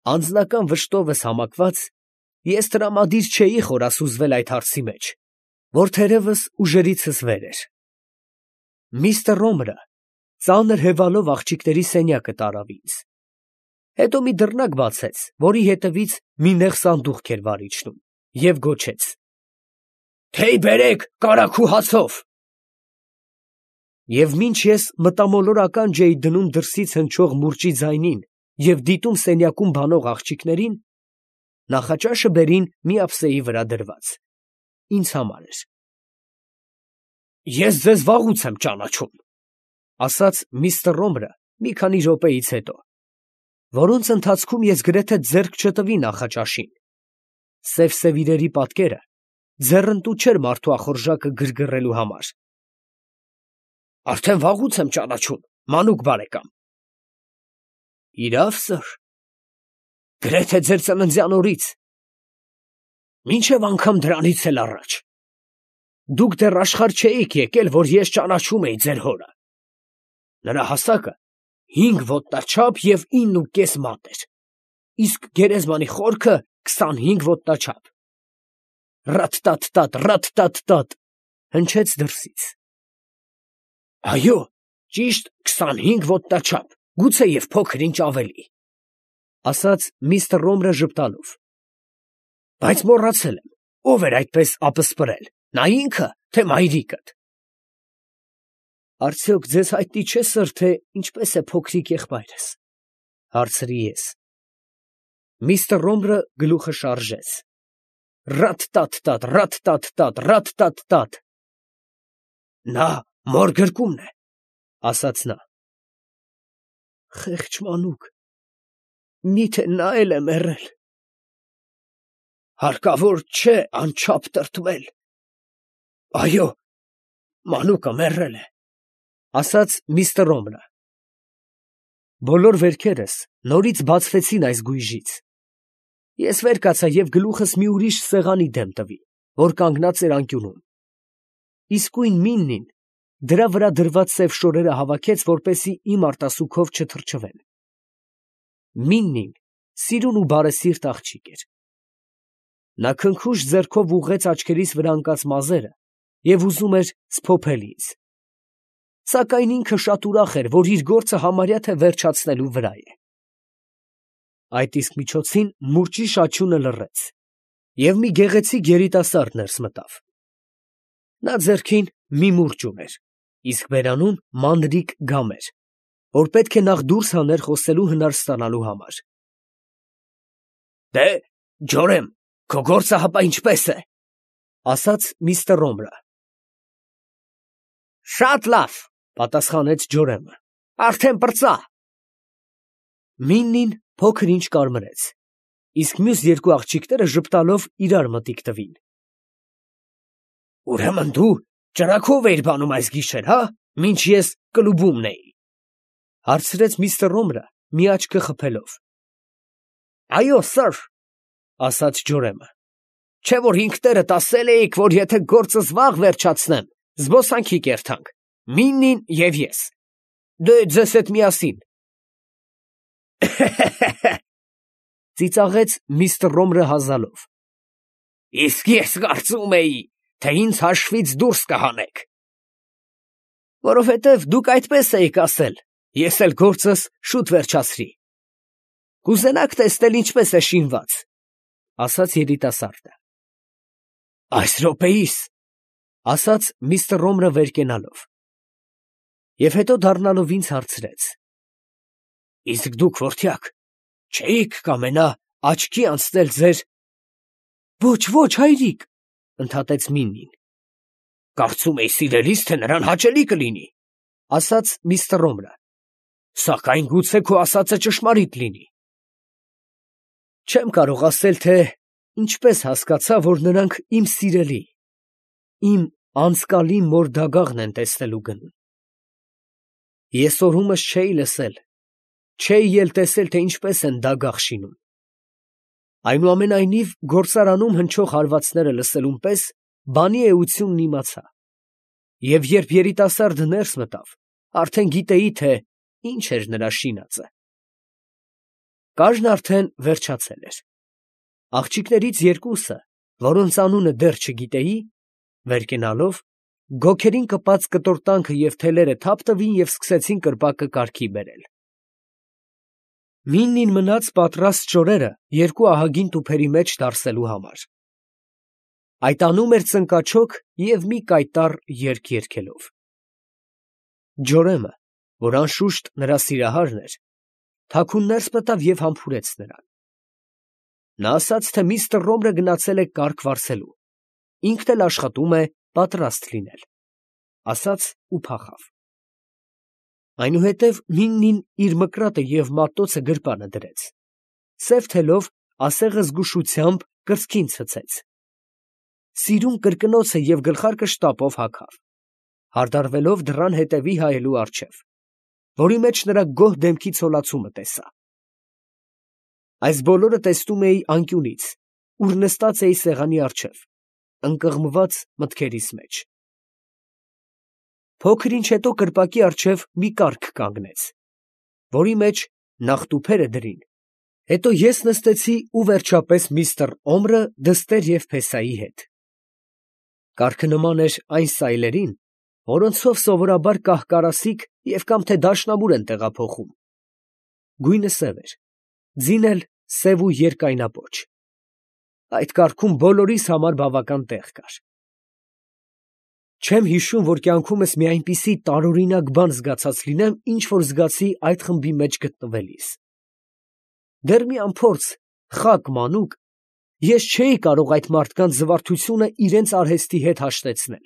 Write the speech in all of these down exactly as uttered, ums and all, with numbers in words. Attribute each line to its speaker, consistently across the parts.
Speaker 1: Անձնական վշտովս համակված, ես տրամադիր չէի խորասուզվել այդ հարցի մեջ, որ թերևս ուժերիցս վեր էր։ Միսթր Ռոմրը ծանր հևալով աղջիկների սենյակը տարավ ինձ, հետո մի դռնակ բացեց, որի հետևից մի նեղ սանդուղք էր վար իջնում, և գոչեց. «Թեյ բերեք կարագու հացով»։ Եվ մինչ ես մտամոլորական չէի դնում դրսից հնչող մուրճի ձայնին և դիտում սենյակում բանող աղջիկներին, նախաճաշը բերին մի ափսեի վրա դրված, ինձ համար էր։ «Ես ձեզ վաղուց եմ ճանաչում», ֊ ասաց միսթր Ռոմրը մի քանի րոպեից հետո, որոնց ընթացքում ես գրեթե ձեռք չտվի նախաճաշին. սև֊սև իրերի պատկերը ձեռնտու չէր մարդու ախորժակը գրգռելու համար։ «Արդեն վաղուց եմ ճանաչում, մանուկ բարեկամ»։ «Իրավ, սըր, գրեթե ձեր ծննդյան օրից, մինչև անգամ դրանից էլ առաջ։ Դուք դեռ աշխարհ չէիք եկել, որ ես ճանաչում էի ձեր հորը. նրա հասակը հինգ ոտնաչափ և ինն ու կես մատ էր, իսկ գերեզմանի խորքը քսանհինգ ոտնաչափ։ Ռաթ֊տաթ֊տաթ, ռաթ֊տաթ֊տաթ, հնչեց դրսից։ Այո, ճիշտ քսանհինգ ոտնաչափ, գուցեև փոքր֊ինչ ավելի, ֊ ասաց միսթր Ռոմրը ժպտալով։ Բայց մոռացել եմ, ով էր այդպես ապսպրել, նա ինքը, թե մայրիկդ։ Արդյոք ձեզ հայտնի չէ, սըր, թե ինչպես է փոքրիկ եղբայրս, ֊ հարցրի ես։ Միսթր Ռոմրը գլուխը շարժեց. Ռաթ֊տաթ֊տաթ, ռաթ֊տաթ֊տաթ, ռաթ֊տաթ֊տաթ։ Նա մոր գրկումն է, ֊ ասաց նա։ Խեղճ մանուկ, միթե նա էլ է մեռել։ Հարկավոր չէ անչափ տրտմել։ Այո, մանուկը մեռել է, ֊ ասաց միսթր Ռոմրը։ Բոլոր վերքերս նորից բացվեցին այս գույժից։ Ես վեր կացա և գլուխս մի ուրիշ սեղանի դեմ տվի, որ կանգնած էր անկյունում։ Իսկույն Միննին դրա վրա դրված սև շորերը հավաքեց, որպեսզի իմ արտասուքով չթրջվեն։ Միննին սիրուն ու բարեսիրտ աղջիկ էր։ Նա քնքուշ ձեռքով ուղղեց աչքերիս վրա ընկած մազերը և ուզում էր սփոփել ինձ։ Սակայն ինքը շատ ուրախ էր, որ իր գործը համարյա թե վերջացնելու վրա է։ Այդ իսկ միջոցին մուրճի շաչյունը լռեց, և մի գեղեցիկ երիտասարդ ներս մտավ։ Նա ձեռքին մի մուրճ ուներ, իսկ բերանում մանրիկ գամեր, որ պետք է նախ դուրս հաներ խոսելու հնար ստանալու համար։ Դե, Ջորեմ, քո գործը հապա ինչպե՞ս է, ֊ ասաց միսթր Ռոմրը։ Շատ լավ, ֊ պատասխանեց Ջորեմը, ֊ արդեն պրծա։ Միննին փոքր-ինչ կարմրեց, իսկ մյուս երկու աղջիկները ժպտալով իրար մտիկ տվին։ Ուրեմն դու ճրագով էիր բանում այս գիշեր, հա՞, մինչ ես կլուբումն էի, ֊ հարցրեց միսթր Ռոմրը մի աչքը խփելով։ Այո, սըր, ֊ ասաց Ջորեմը, չէ՞ որ ինքներդ ասել էիք, որ եթե գործս վաղ վերջացնեմ, զբոսանքի կերթանք, Միննին և ես, դե ձեզ հետ միասին։ Ծիծաղեց միսթր Ռոմրը հազալով։ Իսկ ես կարծում էի, թե ինձ հաշվից դուրս կհանեք։ Որովհետև դուք այդպես էիք ասել, ես էլ գործս շուտ վերջացրի։ Կուզենաք տեսնել ինչպես է շինված, ֊ ասաց երիտասարդը։ Այս րոպեիս, ֊ ասաց միսթր Ռոմրը վեր կենալով։ Եվ հետո դառնալով ինձ հարցրեց. Իսկ դուք, որդյակ, չէիք կամենա աչքի անցնել ձեր… Ոչ, ոչ, հայրիկ, ֊ ընդհատեց Միննին։ Կարծում էի սիրելիս, թե նրան հաճելի կլինի, ֊ ասաց միսթր Ռոմրը։ Սակայն գուցե քո ասածը ճշմարիտ լինի։ Չեմ կարող ասել, թե ինչպես հասկացա, որ նրանք իմ սիրելի, իմ անցկալի մոր դագաղն են տեսնելու գնում։ Ես օրումս չէի լսել, չէի էլ տեսել, թե ինչպես են դագաղ շինում։ Այնուամենայնիվ, գործարանում հնչող հարվածները լսելուն պես բանի էությունն իմացա, և երբ երիտասարդը ներս մտավ, արդեն գիտեի, թե ինչ էր նրա շինածը։ Կաժն արդեն վերջացել էր։ Աղջիկներից երկուսը, որոնց անունը դեռ չգիտեի, վեր կենալով, գոգերին կպած կտորտանքը և թելերը թափ տվին և սկսեցին կրպակը կարգի բերել։ Միննին մնաց պատրաստ շորերը երկու ահագին տուփերի մեջ դարսելու համար։ Այդ անում էր ծնկաչոք և մի կայտառ երգ երգելով։ Ջորեմը, որ անշուշտ նրա սիրահարն էր, թաքուն ներս մտավ և համբուրեց նրան։ Նա ասաց, թե միստր Ռոմրը գնացել է կառք վարձելու, ինքն էլ աշխատում է պատրաստ լինել, ասաց ու փախավ։ Այնուհետև Միննին իր մկրատը և մատոցը գրպանը դրեց, սև թելով ասեղը զգուշությամբ կրծքին ցցեց, սիրուն կրկնոցը և գլխարկը շտապով հագավ, հարդարվելով դռան հետևի հայելու առջև, որի մեջ նրա գոհ դեմքի ցոլացումը տեսա։ Այս բոլորը տեսնում էի անկյունից, ուր նստած էի սեղանի առջև, ընկղմված մտքերիս մեջ։ Փոքր ինչ հետո կրպակի առջև մի կառք կանգնեց, որի մեջ նախ տուփերը դրին, հետո ես նստեցի ու վերջապես միստր Օմրը դստեր և փեսայի հետ։ Կառքը նման էր այն սայլերին, որոնցով սովորաբար կահ֊կարասիք և կամ թե դաշնամուր են տեղափոխում։ Գույնը սև էր, ձին էլ սև ու երկայնապոչ։ Այդ կառքում բոլորիս համար բավական տեղ կար։ Չեմ հիշում, որ կյանքումս մի այնպիսի տարօրինակ բան զգացած լինեմ, ինչ որ զգացի այդ խմբի մեջ գտնվելիս։ Դեռ մի անփորձ խակ մանուկ, ես չէի կարող այդ մարդկանց զվարթությունը իրենց արհեստի հետ հաշտեցնել։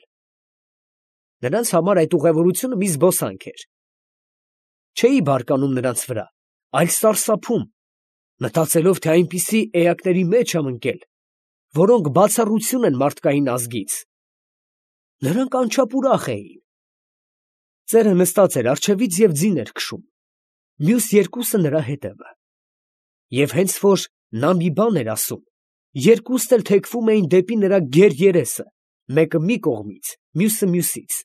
Speaker 1: Նրանց համար այդ ուղևորությունը մի զբոսանք էր։ Չէի բարկանում նրանց վրա, այլ սարսափում, մտածելով, թե այնպիսի էակների մեջ եմ ընկել, որոնք բացառություն են մարդկային ազգից։ Նրանք անչափ ուրախ էին։ Ծերը նստած էր առջևից և ձին էր քշում, մյուս երկուսը նրա հետևը։ Եվ հենց որ նա մի բան էր ասում, երկուսն էլ թեքվում էին դեպի նրա գեր երեսը, մեկը մի կողմից, մյուսը մյուսից,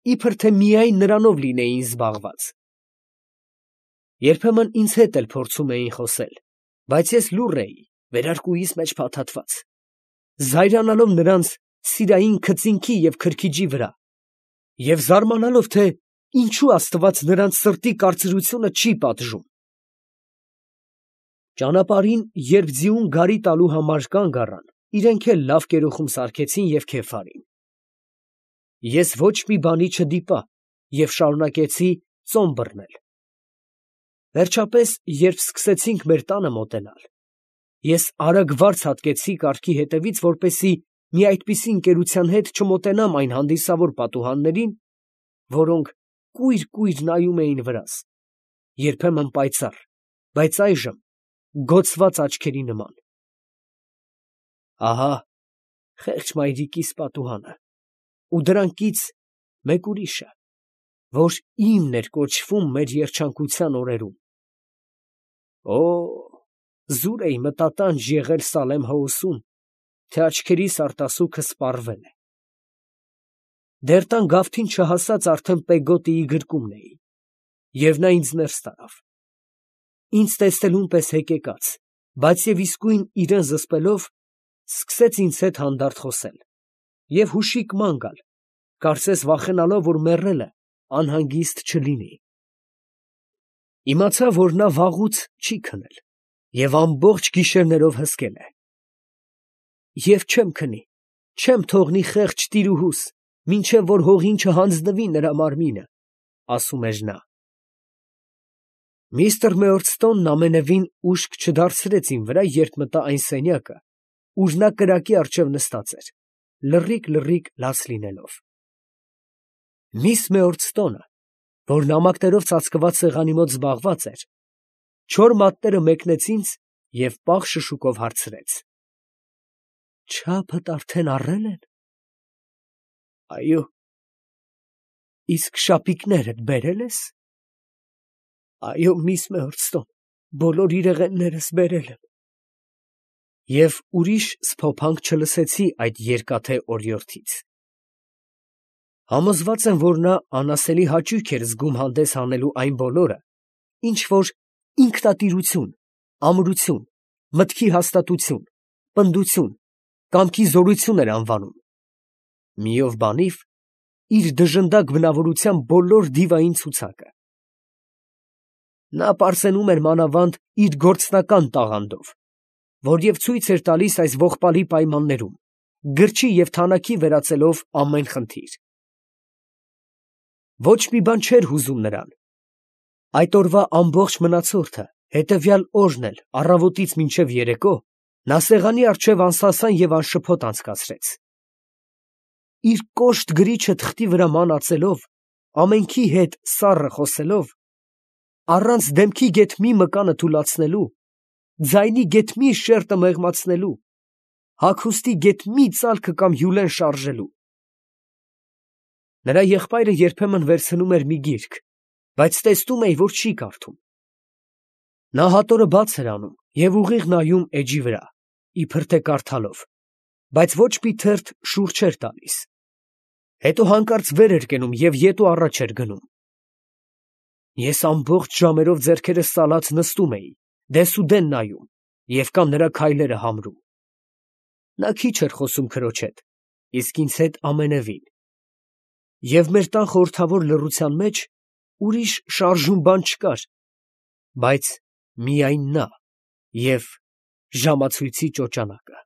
Speaker 1: իբր թե միայն նրանով լինեին զբաղված։ Երբեմն ինձ հետ էլ փորձում էին խոսել, բայց ես լուռ էի, վերարկուիս մեջ փաթաթված, զայրանալով նրանց սիրային քծինքի և քրքիջի վրա և զարմանալով, թե ինչու Աստված նրանց սրտի կարծրությունը չի պատժում։ Ճանապարհին, երբ ձիուն գարի տալու համար կանգ առան, իրենք էլ լավ կերուխում սարքեցին և քեֆ արին։ Ես ոչ մի բանի չդիպա և շարունակեցի ծոմ բռնել։ Վերջապես, երբ սկսեցինք մեր տանը մոտենալ, ես արագ վարձ հատկեցի կառքի հետևից, որպեսզի մի այդպիսի ընկերության հետ չմոտենամ այն հանդիսավոր պատուհաններին, որոնք կույր֊կույր նայում էին վրաս, երբեմն պայծառ, բայց այժմ գոցված աչքերի նման։ Ահա խեղճ մայրիկիս պատուհանը, ու դրանքից մեկ ուրիշը, որ իմն էր կոչվում մեր երջանկության օրերում։ Օ՜, զուր էի մտատանջ եղել Սալեմ Հոուսում, թե աչքերիս արտասուքը սպառվել է։ Դեռ տան գավթին չհասած արդեն Պեգոտիի գրկումն էի, և նա ինձ ներս տարավ։ Ինձ տեսնելուն պես հեկեկաց, բայց և իսկույն իրան զսպելով, սկսեց ինձ հետ հանդարտ խոսել և հուշիկ ման գալ, կարծես վախենալով, որ մեռելը անհանգիստ չլինի։ Իմացա, որ նա վաղուց չի քնել և ամբողջ գիշերներով հսկել է։ Եվ չեմ քնի, չեմ թողնի խեղճ տիրուհուս, մինչև որ հողին չհանձնվի նրա մարմինը, ասում էր նա։ Միստր Մեյորսթոնն ամենևին ուշք չդարձրեց իմ վրա, երբ մտա այն սենյակը, ուր նա կրակի առջև նստած էր, լռիկ֊լռիկ լաց լինելով։ Միս Մեյորսթոնը, որ նամակներով ծածկված սեղանի մոտ զբաղված էր, չոր մատները մեկնեց ինձ և պաղ շշուկով հարցրեց. «Չափդ արդեն առել են»։ Այո։ Իսկ շապիկներդ բերել ես։ Այո, միս Մեյորսթոն, բոլոր իրեղեններս բերել եմ։ Եվ ուրիշ սփոփանք չլսեցի այդ երկաթե օրիորդից։ Համոզված եմ, որ նա անասելի հաճույք էր զգում հանդես հանելու այն բոլորը, ինչ որ ինքնատիրություն, ամրություն, մտքի հաստատություն, պնդություն, կամքի զորություն էր անվանում։ Միով բանիվ իր դժնդակ բնավորության բոլոր դիվային ցուցակը։ Նա պարծենում էր մանավանդ իր գործնական տաղանդով, որ և ցույց էր տալիս այս ողբալի պայմաններում, գրչի և թանաքի վերածելով ամեն խնդիր։ Ոչ մի բան չէր հուզում նրան։ Այդ օրվա ամբողջ մնացորդը, հետևյալ օրն էլ առավոտից մինչև երեկո, նա սեղանի առջև անսասան և անշփոթ անցկացրեց։ Իր կոշտ գրիչը թղթի վրա ման ածելով, ամենքի հետ սառը խոսելով, առանց դեմքի գեթ մի մկանը թուլացնելու, ձայնի գեթ մի շերտը մեղմացնելու, հագուստի գեթ մի ծալքը կամ հյուրեն շարժելու։ Նրա եղբայրը երբեմն վերցնում էր մի գիրք, բայց տեսնում էի, որ չի կարդում։ Նա հատորը բաց էր անում և ուղիղ նայում էջի վրա, իբր թե կարդալով, բայց ոչ մի թերթ շուռ չէր տալիս։ Հետո հանկարծ վեր էր կենում և ետ ու առաջ էր գնում։ Ես ամբողջ ժամերով ձեռքերս ծալած նստում էի, դեսուդեն նայում և կամ նրա քայլերը համրում։ Նա քիչ էր խոսում քրոջ հետ, իսկ ինձ հետ ամենևին։ Եվ մեր տան խորհրդավոր լռության մեջ ուրիշ շարժուն բան չկար, բայց միայն նա և ժամացույցի ճոճանակը։